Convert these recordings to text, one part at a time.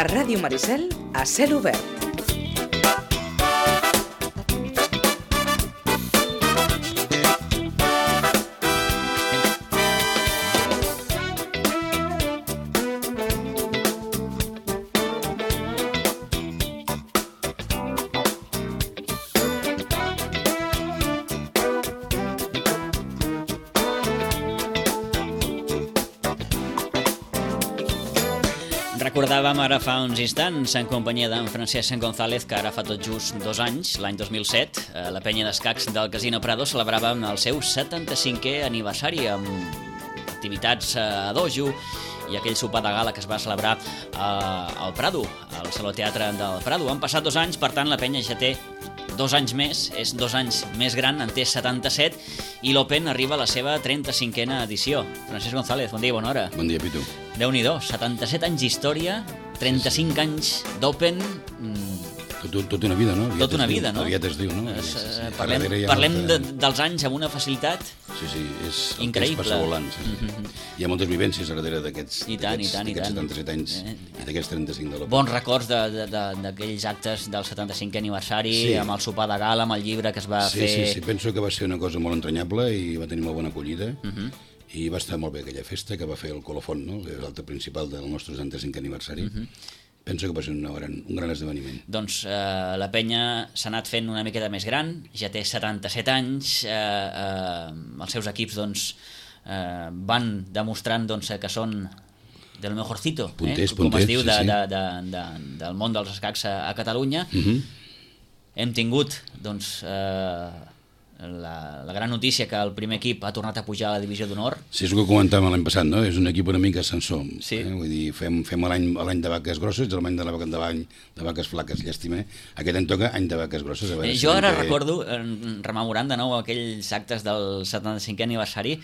A Ràdio Maricel, a cel obert. Recordàvem ara fa uns instants, en companyia d'en Francesc González, que ara fa tot just 2 anys, l'any 2007, la penya d'escacs del Casino Prado celebrava el seu 75è aniversari amb activitats a dojo i aquell sopar de gala que es va celebrar al Prado, al Saló Teatre del Prado. Han passat 2 anys, per tant la penya ja té 2 anys més, és 2 anys més gran, en té 77, i l'Open arriba a la seva 35a edició. Francesc González, bon dia i bona hora. Bon dia, Pitu. Déu-n'hi-do, 77 anys d'història, 35 anys d'Open... Tot una vida, no? Tot una vida, no? Aviat es diu, no? Parlem dels anys amb una facilitat increïble. Passa volant. Hi ha moltes vivències darrere d'aquests 77 anys i d'aquests 35 de l'Open. Bons records d'aquells actes del 75è aniversari, amb el sopar de gala, amb el llibre que es va fer... Sí, penso que va ser una cosa molt entranyable i va tenir molt bona acollida. I va estar molt bé aquella festa que va fer el Colofont, no? L'acte principal del nostre 75è aniversari. Penso que va ser un gran esdeveniment. Doncs la penya s'ha anat fent una miqueta més gran, ja té 77 anys, els seus equips van demostrant que són del mejorcito, com es diu, del món dels escacs a Catalunya. Hem tingut la gran notícia que el primer equip ha tornat a pujar a la divisió d'honor. Sí, és el que comentàvem l'any passat, no? És un equip una mica ascensor. Vull dir, fem l'any de vaques grosses, l'any de vaques flaques, llàstima. Aquest any toca any de vaques grosses. Jo ara recordo, rememorant de nou aquells actes del 75è aniversari,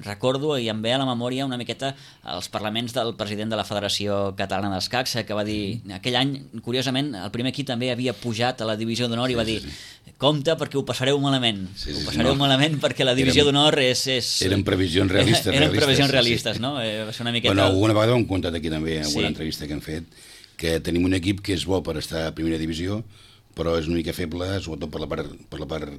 recordo i em ve a la memòria una miqueta els parlaments del president de la Federació Catalana d'Escacs, que va dir, aquell any, curiosament, el primer equip també havia pujat a la divisió d'honor i va dir, compte perquè ho passareu malament. Ho passareu malament perquè la divisió d'honor és... Eren previsions realistes. Eren previsions realistes, no? Va ser una miqueta... Bueno, alguna vegada ho hem contat aquí també, en una entrevista que hem fet, que tenim un equip que és bo per estar a primera divisió, però és una mica feble, sobretot per la part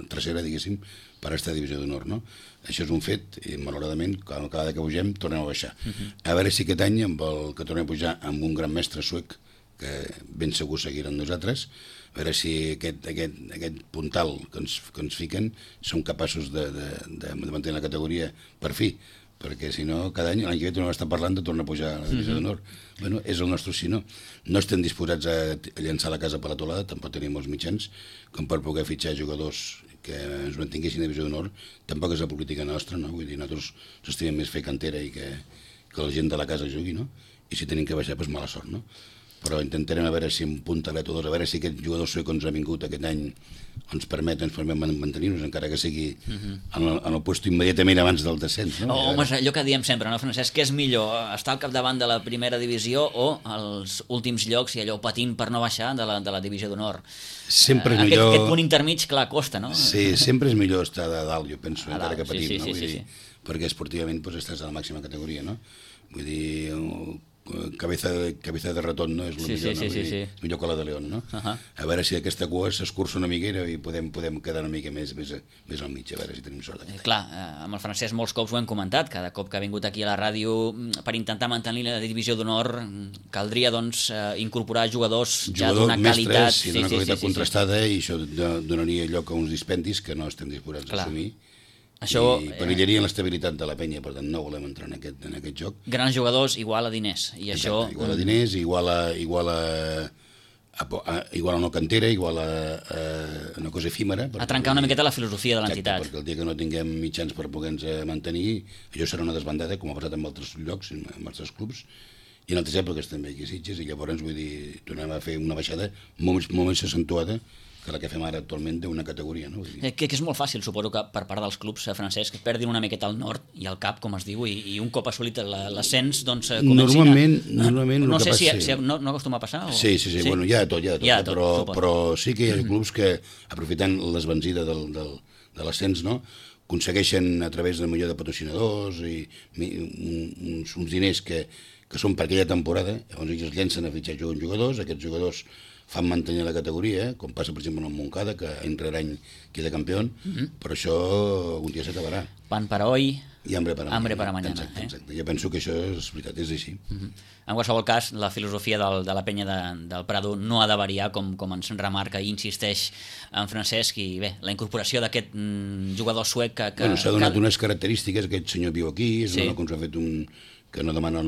trasera, diguéssim, per estar a divisió d'honor, no? Això és un fet, i malauradament, cada vegada que pugem, tornem a baixar. A veure si aquest any, que tornem a pujar amb un gran mestre suec, que ben segur seguiran nosaltres, a veure si aquest puntal que ens fiquen són capaços de mantenir la categoria per fi, perquè si no, cada any, l'any que ve tornem a estar parlant de tornar a pujar a la divisió d'honor. Bueno, és el nostre si no. No estem disposats a llançar la casa per la teulada, tampoc tenim els mitjans com per poder fitxar jugadors que ens mantinguessin a divisió d'honor. Tampoc és la política nostra, no? Vull dir, nosaltres s'estimem més fer cantera i que la gent de la casa jugui, no? I si tenim que baixar, doncs mala sort, no? Però intentarem a veure si un puntalet o dos, a veure si aquest jugador suec que ens ha vingut aquest any ens permet mantenir-nos, encara que sigui en el lloc immediatament abans del descens. No? Home, allò que diem sempre, no, Francesc? Què és millor, estar al capdavant de la primera divisió o als últims llocs i allò patint per no baixar de la divisió d'honor? Sempre és millor... Aquest punt intermig, clar, costa, no? Sí, sempre és millor estar de dalt, jo penso, encara que patim, no? Vull dir, perquè esportivament estàs a la màxima categoria, no? Vull dir... cabeza de ratón, no? És millor que la de león, no? A veure si aquesta cua s'escurça una miquera i podem quedar una mica més al mig, a veure si tenim sort. Clar, amb el Francesc molts cops ho hem comentat, cada cop que ha vingut aquí a la ràdio, per intentar mantenir la divisió d'honor caldria incorporar jugadors ja d'una qualitat... mestres i d'una qualitat contrastada, i això donaria lloc a uns dispendis que no estem disposats a assumir. I perillarien l'estabilitat de la penya, per tant no volem entrar en aquest joc. Grans jugadors igual a diners, i això... Igual a diners, igual a no cantera, igual a una cosa efímera. A trencar una miqueta la filosofia de l'entitat. Perquè el dia que no tinguem mitjans per poder-nos mantenir, això serà una desbandada, com ha passat en altres llocs, en altres clubs, i en altres èpoques també aquí a Sitges, i llavors, vull dir, tornem a fer una baixada molt més accentuada que la que fem ara actualment d'una categoria, no? Que és molt fàcil, suposo que per part dels clubs, Francesc, que perdin una miqueta el nord i el cap, com es diu, i un cop assolit l'ascens, doncs comencin Normalment no sé si no acostuma a passar? Sí, bueno, hi ha de tot, però sí que hi ha clubs que, aprofitant l'esvanzida de l'ascens, no?, aconsegueixen a través de millor de patrocinadors i uns diners que que són per aquella temporada, llavors ells es llencen a fitxar jugadors, aquests jugadors fan mantenir la categoria, com passa per exemple en el Montcada, que any rere any queda campió, però això un dia s'acabarà. Pan para hoy i hambre para mañana. Exacte. Jo penso que això és veritat, és així. En qualsevol cas, la filosofia de la penya del Prado no ha de variar, com ens remarca i insisteix en Francesc, i bé, la incorporació d'aquest jugador suec que s'ha donat unes característiques, aquest senyor viu aquí, és un home que ens ha fet que no demana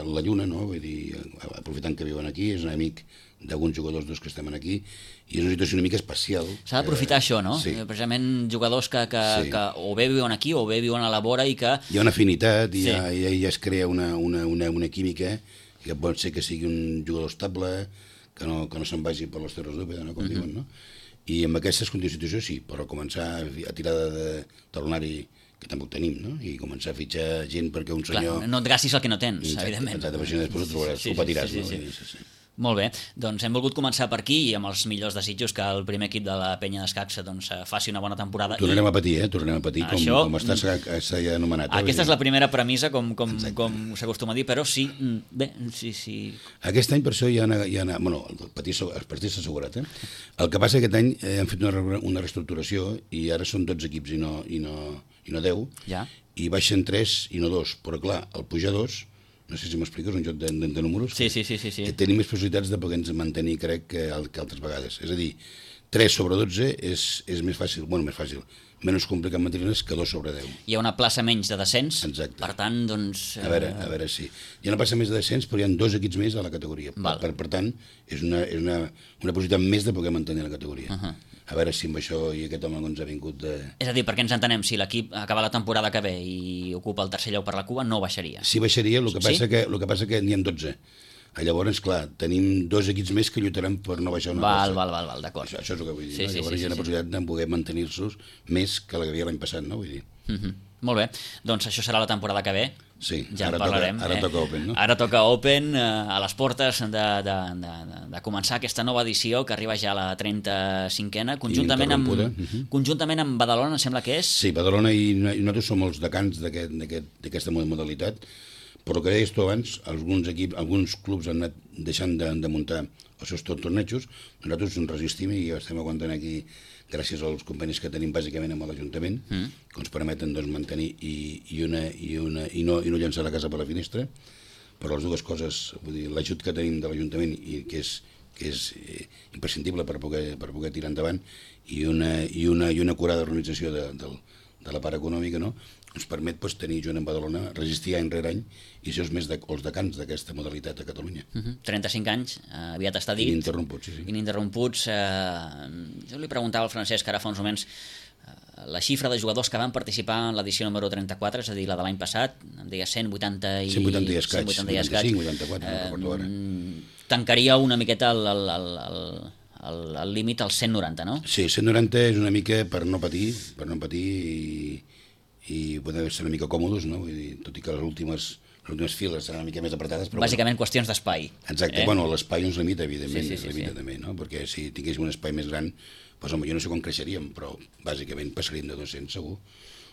la lluna, no? Vull dir, aprofitant que viuen aquí, és un amic d'alguns jugadors que estem aquí, i és una situació una mica especial. S'ha d'aprofitar això, no? Sí. Precisament jugadors que o bé viuen aquí o bé viuen a la vora i que... Hi ha una afinitat, i ja es crea una química, que pot ser que sigui un jugador estable, que no se'n vagi per les terres d'Úbeda, no? Com diuen, no? I amb aquestes condicions sí, però començar a tirar de talonari, que tampoc tenim, no? I començar a fitxar gent perquè un senyor... Clar, no et gastis el que no tens, evidentment. Exacte, perquè després ho trobaràs, ho patiràs, no? Sí. Molt bé, doncs hem volgut començar per aquí i amb els millors desitjos que el primer equip de la penya d'escacs faci una bona temporada. Tornarem a patir, com està anomenat. Aquesta és la primera premissa, com s'acostuma a dir, però sí, bé, sí. Aquest any per això hi ha bueno, el patir s'ha assegurat, El que passa que aquest any hem fet una reestructuració i ara són 12 equips i no 10, i baixen 3 i no 2, però clar, el pujar 2, no sé si m'explico, és un joc de números. Sí. Tenim més possibilitats de poder-nos mantenir, crec, que altres vegades. És a dir, 3 sobre 12 és més fàcil, menys complicat mantenir-les que 2 sobre 10. Hi ha una plaça menys de descens, exacte. Per tant, doncs... A veure, sí. Hi ha una plaça més de descens, però hi ha 2 equips més a la categoria. Per tant, és una possibilitat més de poder mantenir la categoria. A veure si amb això i aquest home ens ha vingut de... És a dir, perquè ens entenem, si l'equip acaba la temporada que ve i ocupa el tercer lloc per la cua, no baixaria. Sí, baixaria, el que passa que n'hi ha 12. Llavors, clar, tenim 2 equips més que lluitaran per no baixar una plaça. Val, d'acord. Això és el que vull dir. Llavors hi ha una possibilitat de poder mantenir-los més que la que havia l'any passat, no? Vull dir. Molt bé, doncs això serà la temporada que ve. Sí, ja en parlarem. Ara toca Open, no? Ara toca Open, a les portes de començar aquesta nova edició que arriba ja a la 35a, conjuntament amb Badalona, em sembla que és? Sí, Badalona i nosaltres som els decans d'aquesta modalitat, però que deies tu abans, alguns clubs han anat deixant de muntar els seus tornejos, nosaltres ens resistim i estem aguantant aquí gràcies als convenis que tenim bàsicament amb l'Ajuntament, que ens permeten mantenir i no llançar la casa per la finestra, però les dues coses, vull dir, l'ajut que tenim de l'Ajuntament i que és imprescindible per poder tirar endavant, i una acurada organització de la part econòmica, no? Ens permet tenir junt amb Badalona, resistir any rere any i ser els decans d'aquesta modalitat a Catalunya. 35 anys, aviat està dit. Ininterromputs, sí. Ininterromputs. Jo li preguntava al Francesc ara fa uns moments la xifra de jugadors que van participar en l'edició número 34, és a dir, la de l'any passat, em deia 180 i escaig. 185, 84, no recordo ara. Tancaria una miqueta el límit als 190, no? Sí, 190 és una mica per no patir i poder ser una mica còmodes, no? Vull dir, tot i que les últimes files seran una mica més apretades. Però bàsicament qüestions d'espai. Exacte, bueno, l'espai ens limita, evidentment, també, no? Perquè si tinguéssim un espai més gran, doncs, home, jo no sé com creixeríem, però bàsicament passaríem de 200, segur.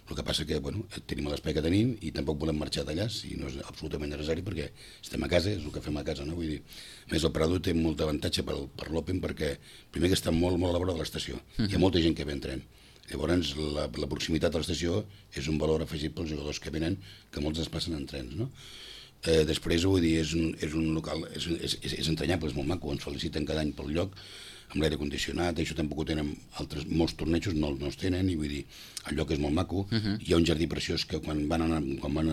El que passa que, bueno, tenim l'espai que tenim i tampoc volem marxar d'allà, si no és absolutament necessari, perquè estem a casa, és el que fem a casa, no? Vull dir, més el Prado té molt avantatge per l'Open, perquè primer que està molt a la vora de l'estació, hi ha molta gent que ve en tren. Llavors, la proximitat a l'estació és un valor afegit pels jugadors que venen, que molts es passen en trens, no? Després, vull dir, és un local, és entranyable, és molt maco, ens feliciten cada any pel lloc, amb l'aire condicionat, això tampoc ho tenen molts tornejos, no els tenen, i vull dir, el lloc és molt maco, hi ha un jardí preciós que quan van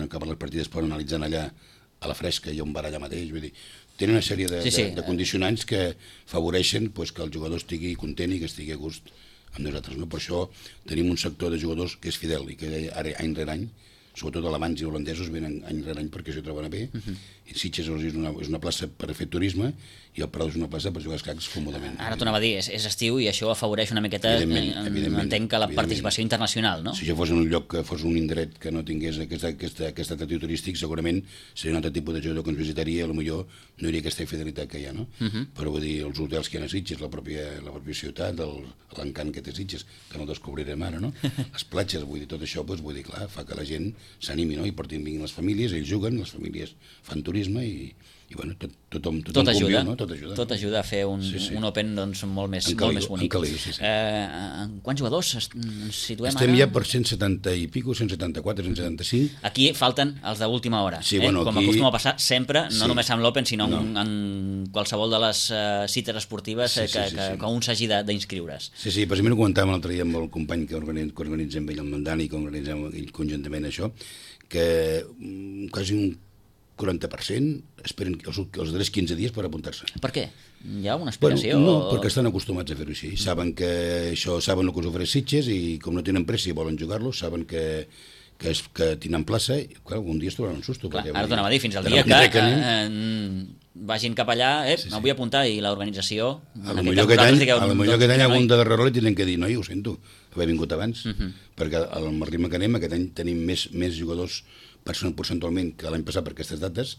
acabar les partides poden analitzar allà a la fresca, hi ha un bar allà mateix, vull dir, tenen una sèrie de condicionants que afavoreixen que el jugador estigui content i que estigui a gust amb nosaltres, no? Per això tenim un sector de jugadors que és fidel i que ara any rere any, sobretot alemanys i holandesos, venen any rere any perquè s'hi troben bé, i Sitges és una plaça per fer turisme i el Prado és una plaça per jugar a escacs còmodament. Ara t'ho anava a dir, és estiu i això afavoreix una miqueta, entenc que la participació internacional, no? Si això fos un lloc que fos un indret que no tingués aquest atractiu turístic, segurament seria un altre tipus de jugador que ens visitaria, potser no hi hauria aquesta fidelitat que hi ha, no? Però vull dir, els hotels que hi ha a Sitges, la pròpia ciutat, l'encant que té Sitges, que no el descobrirem ara, no? Les platges, vull dir, tot això, vull dir, clar, fa que la gent s'animi, no? I vinguin les famílies, ells juguen, les famílies fan turisme i bueno, tothom ajuda, conviu, no? Tot ajuda. Tot ajuda a fer un Open doncs, molt més bonic. En caliu, sí. En quants jugadors ens situem Estem ara? ja per 170 i pico, 174, 175. Aquí falten els d'última hora, Sí, bueno, com aquí... acostuma a passar sempre, no Sí. només amb l'Open, sinó en qualsevol de les cites esportives que un s'hagi d'inscriure's. Sí, precisament ho comentàvem l'altre dia amb el company que organitzem ell, el Mandani, que organitzem ell conjuntament això, que quasi un 40% esperen els darrers 15 dies per apuntar-se. Per què? Hi ha una explicació? No, perquè estan acostumats a fer-ho així. Saben que saben el que us ofereix Sitges i com no tenen pressa i volen jugar-lo, saben que tenen plaça i clar, un dia es trobaran un susto. Clar, ara t'ho anava a dir, fins al dia que vagin cap allà, em vull apuntar, i l'organització... A lo millor aquest any algun de darrere li tenen que dir, noi, ho sento, haver vingut abans, perquè al ritme que anem, aquest any tenim més jugadors percentualment que l'any passat per aquestes dates.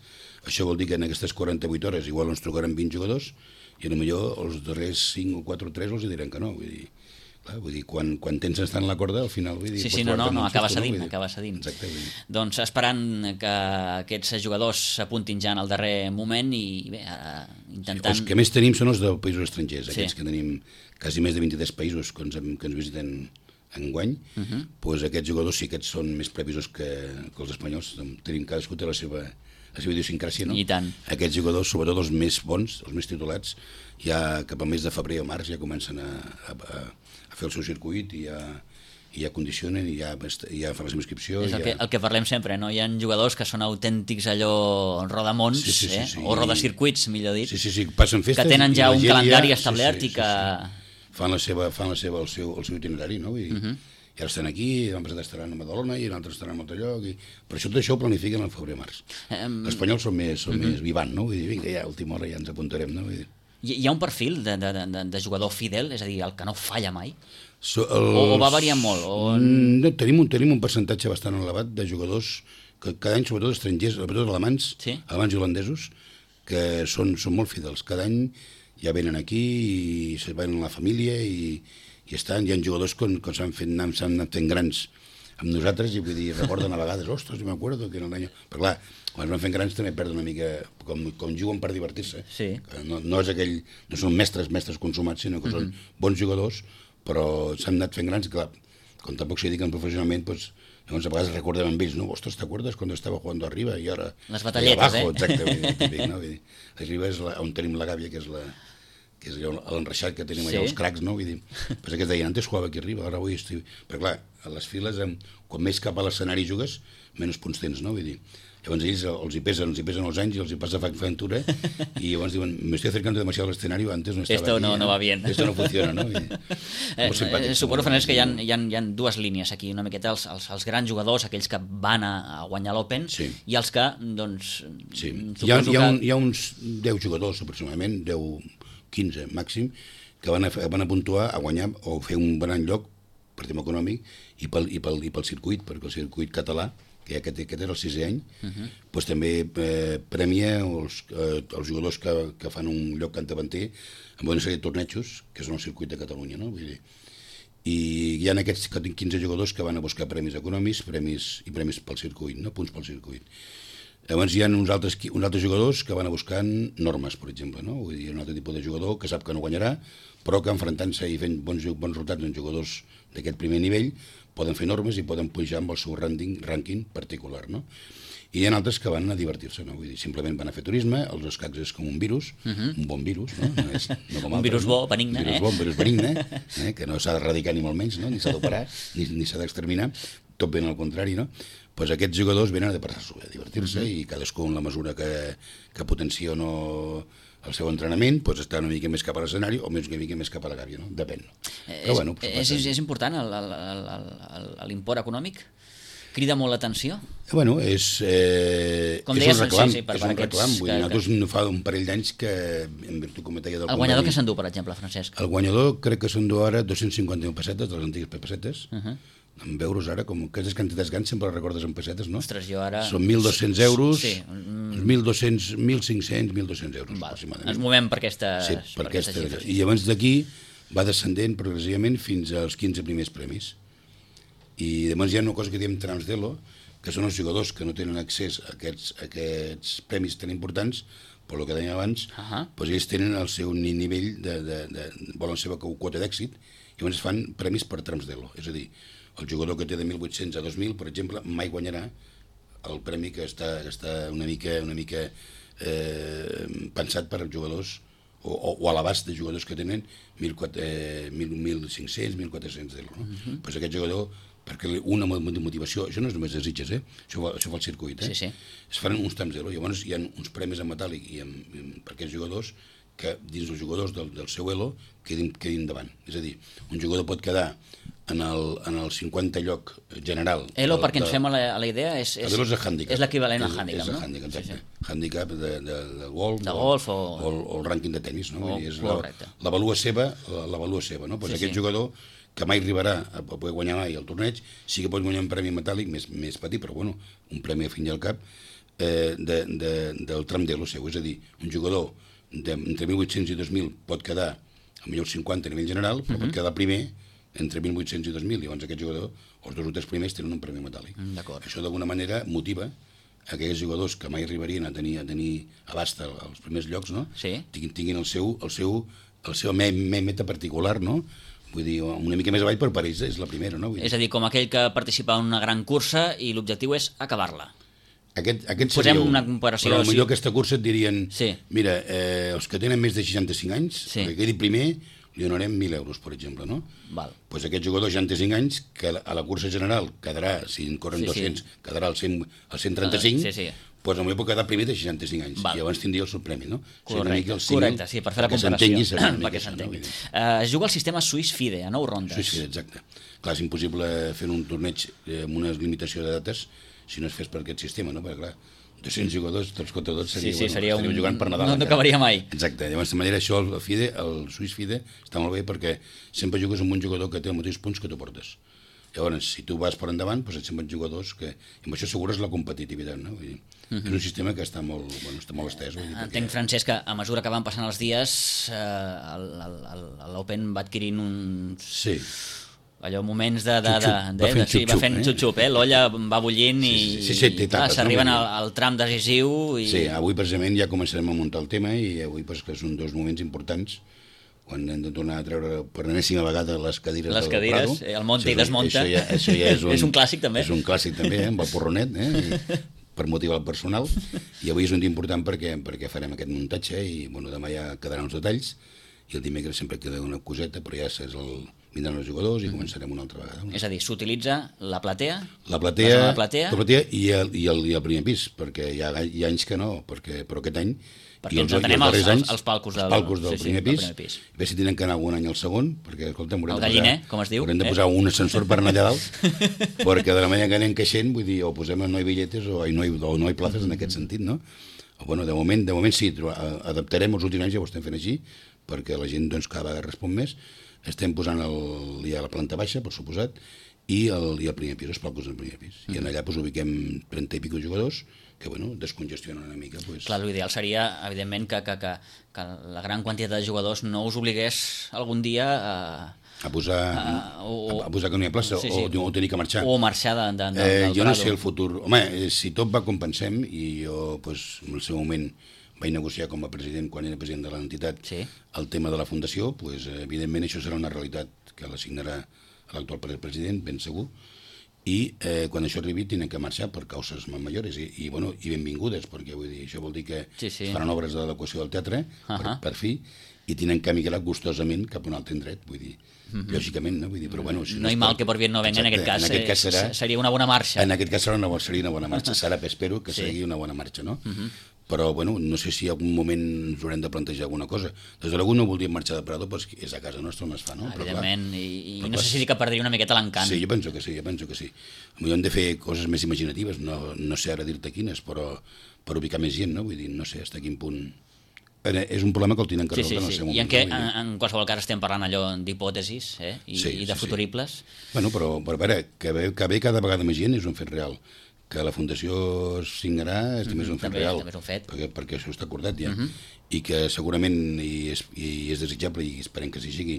Això vol dir que en aquestes 48 hores igual ens trucaran 20 jugadors i potser els darrers 5 o 4 o 3 els diran que no. Vull dir, quan tens estar en la corda, al final... Sí, no, acaba cedint. Exacte. Doncs esperant que aquests jugadors s'apuntin ja en el darrer moment i bé, intentant... Els que més tenim són els dels països estrangers, aquests que tenim quasi més de 23 països que ens visiten enguany, doncs aquests jugadors sí que són més previsos que els espanyols. Tenim cadascú té la seva idiosincràsia, no? I tant. Aquests jugadors, sobretot els més bons, els més titulats, ja cap al mes de febrer o març ja comencen a fer el seu circuit i ja condicionen i ja fan la seva inscripció. És el que parlem sempre, no? Hi ha jugadors que són autèntics allò rodamons, o rodacircuits, millor dit, passen festes, que tenen ja un calendari establert i que... Fan el seu itinerari, no? I ara estan aquí, l'han passat estaran a Badalona i l'altre estaran a un altre lloc. Per això tot això ho planifiquen al febrer-març. Els espanyols són més vivant, no? Vull dir, vinga, ja a última hora ja ens apuntarem, no? Hi ha un perfil de jugador fidel, és a dir, el que no falla mai? O va variant molt? No, tenim un percentatge bastant elevat de jugadors que cada any, sobretot estrangers, sobretot alemanys i holandesos, que són molt fidels. Cada any ja venen aquí i se van a la família i estan. Hi ha jugadors que s'han anat fent grans amb nosaltres i vull dir, recorden a vegades, ostres, jo m'acuerdo que era el any... Però clar, quan es van fent grans també perden una mica, com juguen per divertir-se. Sí. No és aquell, no són mestres consumats, sinó que són bons jugadors, però s'han anat fent grans, clar, com tampoc s'hi dediquen professionalment, doncs llavors a vegades recordem amb ells, no? Ostres, ¿te acuerdas cuando estaba jugando arriba y ahora... Les batalletes, Exacte, típic, no? Arriba és on tenim la gàbia, que és l'enreixat que tenim allà, els cracs, no? Vull dir, pues que es deien, antes jugava aquí arriba, ara avui estic... Però clar, a les files, quan més cap a l'escenari jugues, menys punts tens, no? Vull dir, llavors ells els hi pesen els anys i els hi passa factura i llavors diuen, me estoy acercando demasiado al escenario, antes no estaba esto aquí. No va bien. Esto no funciona, no? Suposo, Francesc, que hi ha dues línies aquí, una miqueta els grans jugadors, aquells que van a guanyar l'Open, i els que, doncs... Sí, hi ha uns 10 jugadors aproximadament, 10-15 màxim, que van a puntuar a guanyar o fer un gran lloc per tema econòmic i pel circuit, perquè el circuit català, que aquest és el 6è any, doncs també premia els jugadors que fan un lloc cantabanter amb una sèrie de tornejos, que són el circuit de Catalunya, no? Vull dir, i hi ha aquests 15 jugadors que van a buscar premis econòmics i premis pel circuit, no? Punts pel circuit. Llavors hi ha uns altres jugadors que van a buscar normes, per exemple, no? Vull dir, un altre tipus de jugador que sap que no guanyarà, però que enfrontant-se i fent bons resultats en jugadors d'aquest primer nivell poden fer normes i poden pujar amb el seu rànquing particular, no? I hi ha altres que van a divertir-se, no? Vull dir, simplement van a fer turisme, els escacs és com un virus, un bon virus, no? No com un virus bo, benigne, un virus benigne, que no s'ha d'erradicar ni molt menys, no? Ni s'ha d'operar, ni s'ha d'exterminar, tot ben al contrari, no? Doncs aquests jugadors venen a passar-s'ho bé, a divertir-se i cadascú en la mesura que potencia o no el seu entrenament, doncs està una mica més cap a l'escenari o una mica més cap a la gàbia, no? Depèn. Però, bueno, és important l'import econòmic? Crida molt l'atenció? Bueno, és un reclam. És un reclam. Nosaltres fa un parell d'anys que, en virtut, com deia... El guanyador que s'endú, per exemple, Francesc? El guanyador crec que s'endú ara 251 pessetes, de les antigues pessetes, en euros ara, com aquestes quantitats grans sempre les recordes en pessetes, no? Ostres, jo ara... Són 1.200 euros, 1.200, 1.500, 1.200 euros, aproximadament. Ens movem per aquestes xifres. I llavors d'aquí va descendent progressivament fins als 15 primers premis. I llavors hi ha una cosa que diem trams d'elo, que són els jugadors que no tenen accés a aquests premis tan importants, per el que dèiem abans, doncs ells tenen el seu nivell, volen la seva quota d'èxit, i llavors fan premis per trams d'elo. És a dir, el jugador que té de 1.800 a 2.000, per exemple, mai guanyarà el premi que està una mica pensat per als jugadors o a l'abast de jugadors que tenen 1.500, 1.400 d'elo. Doncs aquest jugador, perquè una motivació, això no és només de Sitges, això fa el circuit, es fan uns trams d'elo, llavors hi ha uns premis en metàl·lic per aquests jugadors que dins els jugadors del seu elo quedin davant. És a dir, un jugador pot quedar en el 50 lloc general. Elo, perquè ens fem a la idea, és l'equivalent al hàndicap, no? És el hàndicap, exacte. Hàndicap de golf o el rànquing de tenis, no? És l'avalua seva, no? Aquest jugador que mai arribarà a poder guanyar mai el torneig, sí que pot guanyar un premi metàl·lic més petit, però bueno, un premi a fin i al cap del tram d'elo seu. És a dir, un jugador entre 1.800 i 2.000 pot quedar a millor 50 a nivell general, però pot quedar primer entre 1.800 i 2.000, i llavors aquest jugador, els dos o tres primers, tenen un premi metàl·lic. Això d'alguna manera motiva aquells jugadors que mai arribarien a tenir abast als primers llocs, no? Tinguin el seu meta particular, no? Vull dir, una mica més avall, però per ells és la primera, no? És a dir, com aquell que participa en una gran cursa i l'objectiu és acabar-la. Posem una comparació. Però potser aquesta cursa et dirien, mira, els que tenen més de 65 anys, que quedi primer, li donarem 1.000 euros, per exemple, no? Doncs aquest jugador de 65 anys, que a la cursa general quedarà, si en corren 200, quedarà al 135, doncs potser pot quedar primer de 65 anys, i llavors tindria el seu premi, no? Correcte, sí, per fer la comparació, perquè s'entengui. Es juga el sistema Swiss FIDE, a 9 rondes. Swiss FIDE, exacte. Clar, és impossible fer un torneig amb una limitació de dates si no es fes per aquest sistema, no? Perquè, clar, 200 jugadors, tots contra tots, estaríem jugant per Nadal. No acabaria mai. Exacte, llavors de manera això, el Swiss FIDE, està molt bé perquè sempre jugues amb un jugador que té els mateixos punts que tu portes. Llavors, si tu vas per endavant, doncs et semblen jugadors que... I amb això assegures la competitivitat, no? Vull dir, és un sistema que està molt estès. Entenc, Francesc, que a mesura que van passant els dies, l'Open va adquirint uns... Sí. Allò, moments va fent xup-xup, l'olla va bullint i s'arriben al tram decisiu. Sí, avui precisament ja començarem a muntar el tema i avui que són dos moments importants quan hem de tornar a treure per enèsima vegada les cadires del Prado. El monta i desmonta. Això ja és un clàssic també. És un clàssic també, amb el porronet, per motivar el personal. I avui és un dia important perquè farem aquest muntatge i demà ja quedaran els detalls i el dimecres sempre queda una coseta, però ja vindran els jugadors i començarem una altra vegada. És a dir, s'utilitza la platea i el primer pis, perquè hi ha anys que no, però aquest any perquè ens atenem als palcos del primer pis. A veure si tenen que anar algun any al segon, perquè, escolta'm, el galliner, com es diu. Haurem de posar un ascensor per anar allà dalt, perquè de la manera que anem creixent, vull dir, o posem no hi billetes o no hi places en aquest sentit, no? Bueno, de moment sí, adaptarem els últims anys, ja ho estem fent així, perquè la gent cada vegada respon més. Estem posant ja la planta baixa, per suposat, i el primer pis, els palcos del primer pis. I en allà ubiquem 30 i pico jugadors que, descongestionen una mica. Clar, l'ideal seria, evidentment, que la gran quantitat de jugadors no us obligués algun dia a posar que no hi ha plaça o tenir que marxar. O marxar del Prado. Jo no sé el futur. Home, si tot va com pensem, i jo, en el seu moment, vaig negociar com a president, quan era president de l'entitat, el tema de la fundació, evidentment això serà una realitat que l'assignarà l'actual president, ben segur, i quan això arribi tenen que marxar per causes majores i benvingudes, perquè això vol dir que es faran obres d'adequació del teatre, per fi, i tenen que migrar gustosament cap a un altre indret, vull dir, lògicament, no? Vull dir, però bueno... No hi mal que por bien no venga, en aquest cas seria una bona marxa. En aquest cas seria una bona marxa, espero que sigui una bona marxa, no? Però, no sé si en algun moment ens haurem de plantejar alguna cosa. Des de l'algú no voldríem marxar de Prado, però és a casa nostra on es fa, no? Evidentment, i no sé si que perdria una miqueta l'encant. Sí, jo penso que sí. Potser hem de fer coses més imaginatives, no sé ara dir-te quines, però per ubicar més gent, no? Vull dir, no sé fins a quin punt... És un problema que el tenen que resoldre en el seu moment. I en qualsevol cas estem parlant allò d'hipòtesis i de futuribles. Però a veure, que ve cada vegada més gent és un fet real. Que la Fundació signarà és també un fet real, perquè això està acordat ja, i que segurament, i és desitjable, i esperem que s'hi sigui,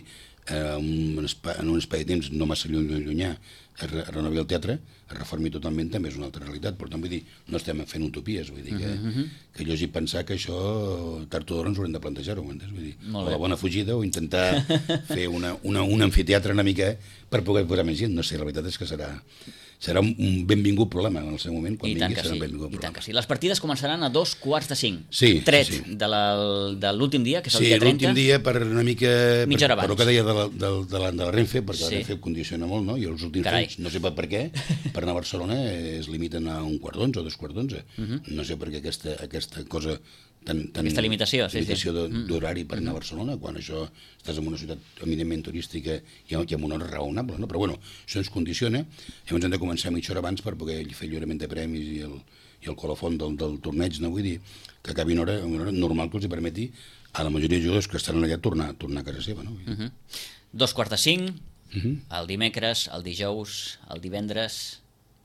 en un espai de temps no massa llunyà es renovi el teatre, es reformi totalment, també és una altra realitat. Per tant, vull dir, no estem fent utopies, vull dir que jo he pensar que això tard o d'hora ens haurem de plantejar-ho, m'entens? Vull dir, o la bona fugida o intentar fer un amfiteatre una mica per poder posar més gent. No sé, la veritat és que serà un benvingut problema en el seu moment, quan vingui serà un benvingut problema. I tant que sí. Les partides començaran a 2:45. Sí, tret de l'últim dia, que és el dia 30. Sí, l'últim dia per una mica... Mitja hora abans. Per el que deia de la Renfe, perquè la Renfe condiciona molt, no? I els últims anys, no sé per què, per anar a Barcelona es limiten a 1:15 o 2:15. No sé per què aquesta cosa... Aquesta limitació d'horari per anar a Barcelona, quan això estàs en una ciutat eminentment turística i amb una hora raonable, no? Però bueno, això ens condiciona. Llavors hem de començar mitja hora abans per poder fer lliurament de premis i el colofon del torneig, no? Vull dir que acabi una hora normal que els permeti a la majoria de jugadors que estan allà tornar a casa seva, no? 2:45, el dimecres, el dijous, el divendres...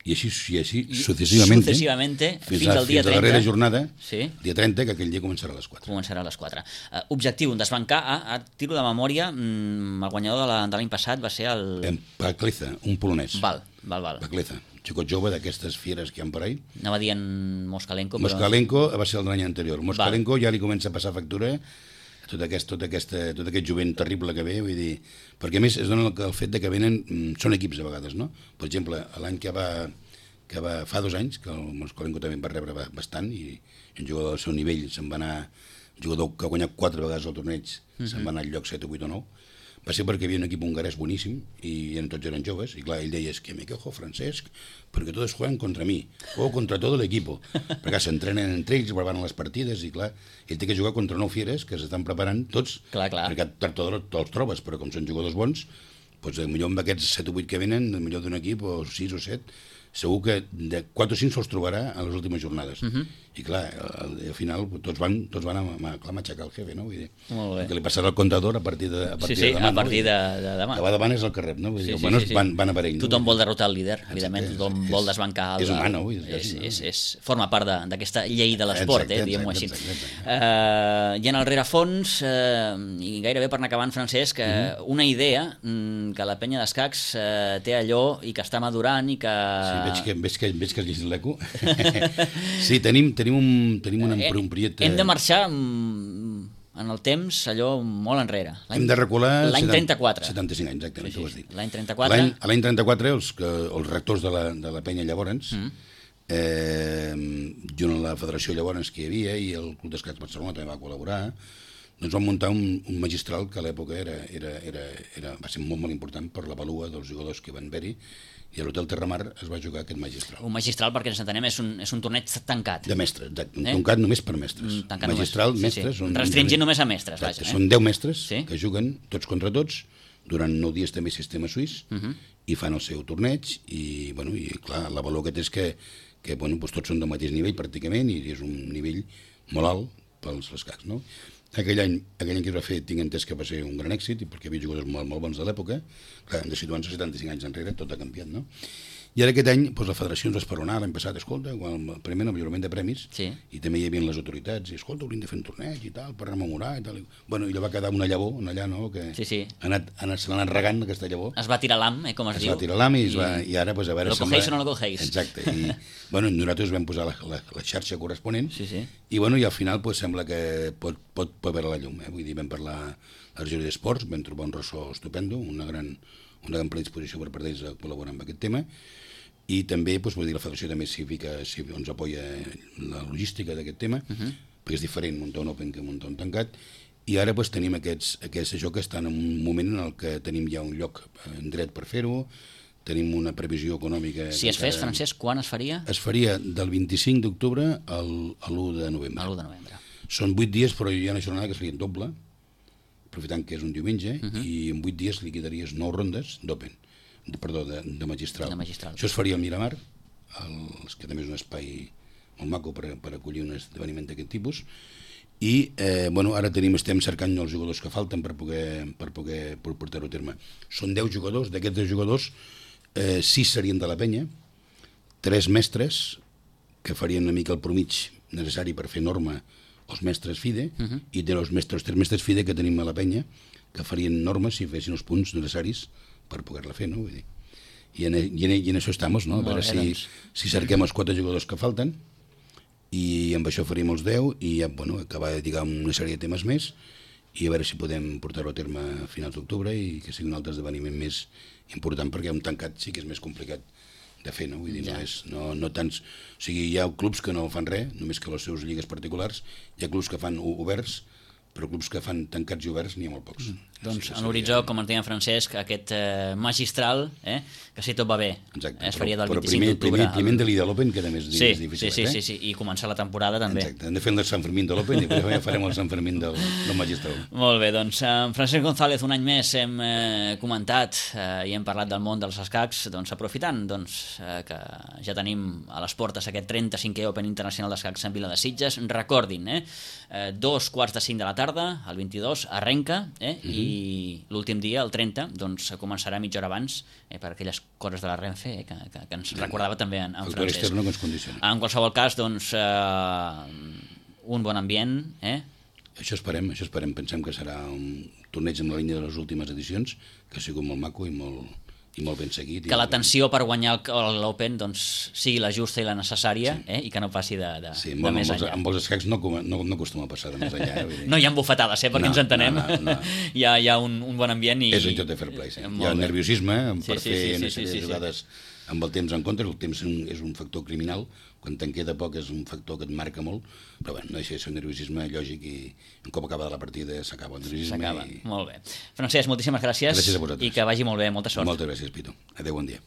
I així successivament fins al dia 30. Fins a la darrera jornada, dia 30, que aquell dia començarà a les 4. Començarà a les 4. Objectiu, desbancar, a tiro de memòria, el guanyador de l'any passat va ser el... Pakleza, un polonès. Val. Pakleza, xicot jove d'aquestes fieres que hi ha per ahí. Anava dient Moskalenko, però... Moskalenko va ser el de l'any anterior. Moskalenko ja li comença a passar factura tot aquest jovent terrible que ve, vull dir, perquè a més es dona el fet que venen, són equips a vegades, no? Per exemple, l'any que fa 2 anys, que el Moskalenko també va rebre bastant, i un jugador del seu nivell se'n va anar, un jugador que ha guanyat 4 vegades el torneig, se'n va anar al lloc 7 o 8 o 9, va ser perquè hi havia un equip hongarès boníssim i tots eren joves, i clar, ell deia, es que me quejo, Francesc, perquè tots juegan contra mi, o contra tot l'equip, perquè s'entrenen entre ells, preparen les partides, i clar, ell té que jugar contra 9 fieres que s'estan preparant tots, perquè tard o d'hora els trobes, però com són jugadors bons, doncs potser amb aquests 7 o 8 que venen, millor d'un equip, o 6 o 7, segur que de 4 o 5 se'ls trobarà a les últimes jornades. I clar, al final tots van a matxacar el jefe, no? Vull dir, que li passarà el comptador a partir de demà. Sí, a partir de demà. Que va davant és el que rep, no? Vull dir, van a per ell. Tothom vol derrotar el líder, evidentment, tothom vol desbancar el... És humano, forma part d'aquesta llei de l'esport, diguem-ho així. I en el rerefons, i gairebé per anar acabant, Francesc, una idea que la penya d'escacs té allò i que està madurant i que... Veig que has llegit l'eco. Sí, tenim un projecte... Hem de marxar en el temps allò molt enrere. Hem de recular... L'any 34. 75 anys, exactament, tu ho has dit. L'any 34. L'any 34, els rectors de la penya llavors, junt amb la federació llavors que hi havia, i el Club d'Escacs Barcelona també va col·laborar, doncs van muntar un magistral que a l'època va ser molt important per la valua dels jugadors que van haver-hi, i a l'Hotel Terramar es va jugar aquest magistral. Un magistral, perquè ens entenem, és un torneig tancat. De mestres, tancat només per mestres. Magistral, mestres... Restringint només a mestres. Són 10 mestres que juguen tots contra tots, durant 9 dies també sistema suís, i fan el seu torneig, i clar, la valor que té és que tots són del mateix nivell pràcticament, i és un nivell molt alt pels escacs, no? Aquell any que es va fer, tinc entès que va ser un gran èxit, perquè hi havia jugadors molt bons de l'època. Clar, hem de situar-nos 75 anys enrere, tot ha canviat, no? I ara aquest any, la federació ens va esperonar l'any passat, escolta, primer el millorament de premis, i també hi havia les autoritats, i escolta, hauríem de fer un torneig i tal, per rememorar i tal. Bueno, i allò va quedar una llavor, allà, no?, que se l'ha anat regant, aquesta llavor. Es va tirar l'am, com es diu. Es va tirar l'am, i ara, a veure... Lo cogéis o no lo cogéis. Exacte, i nosaltres vam posar la xarxa corresponent, i al final sembla que pot veure la llum, vull dir, vam parlar a la regió d'esports, vam trobar un ressò estupendo, una gran predisposició per part d'ells a col·laborar amb aquest tema, i també la federació també ens apoya la logística d'aquest tema, perquè és diferent muntar un open que muntar un tancat, i ara tenim aquests això que estan en un moment en el que tenim ja un lloc en dret per fer-ho, tenim una previsió econòmica... Si es fes, Francesc, quan es faria? Es faria del 25 d'octubre a l'1 de novembre. A l'1 de novembre. Són 8 dies, però hi ha una jornada que es faria en doble, aprofitant que és un diumenge, i en 8 dies liquidaries 9 rondes d'open. De magistral. Això es faria al Miramar, que també és un espai molt maco per acollir un esdeveniment d'aquest tipus, i ara estem cercant els jugadors que falten per poder portar-ho a terme. Són 10 jugadors, d'aquests 10 jugadors 6 serien de la penya, 3 mestres que farien una mica el promig necessari per fer norma els mestres FIDE, i de els 3 mestres FIDE que tenim a la penya, que farien normes si fessin els punts necessaris per poder-la fer, no? Vull dir. I en això estem, no? A veure si cerquem els 4 jugadors que falten i amb això faríem els 10 i ja, bueno, acabar de lligar una sèrie de temes més i a veure si podem portar-ho a terme a finals d'octubre i que sigui un altre esdeveniment més important, perquè un tancat sí que és més complicat de fer, no? Vull dir, no tants... O sigui, hi ha clubs que no fan res, només que les seves lligues particulars, hi ha clubs que fan oberts, però clubs que fan tancats i oberts n'hi ha molt pocs. Doncs en l'horitzó, com ens deia en Francesc, aquest magistral, que si tot va bé, es faria del 25 d'octubre. Primer de l'Ida l'Open, que també és difícil. Sí, i començar la temporada també. Exacte, hem de fer el Sant Fermín de l'Open i després ja farem el Sant Fermín del magistral. Molt bé, doncs amb Francesc González un any més hem comentat i hem parlat del món dels escacs, doncs aprofitant que ja tenim a les portes aquest 35è Open Internacional d'Escacs en Vila de Sitges. Recordin, 2:45 de la tarda, el 22, arrenca, i l'últim dia, el 30, doncs començarà mitja hora abans per aquelles coses de la Renfe que ens recordava també en Francesc. Factor externo que ens condiciona. En qualsevol cas, doncs, un bon ambient. Això esperem. Pensem que serà un torneig en la línia de les últimes edicions, que ha sigut molt maco i molt ben seguit. Que la tensió per guanyar l'Open doncs, sigui la justa i la necessària, i que no passi de més enllà. Amb els escacs no acostuma a passar de més enllà. No hi ha bufetades, perquè ens entenem. No. Hi ha un bon ambient. És un joc de fair play. Hi ha nerviosisme per fer una sèrie de jugades amb el temps en contra. El temps és un factor criminal. Quan te'n queda poc és un factor que et marca molt, però bueno, no deixa de ser un nerviosisme lògic i un cop acaba la partida s'acaba el nerviosisme. Molt bé. Francesc, moltíssimes gràcies. Gràcies a vosaltres. I que vagi molt bé, molta sort. Moltes gràcies, Pitu. Adéu, bon dia.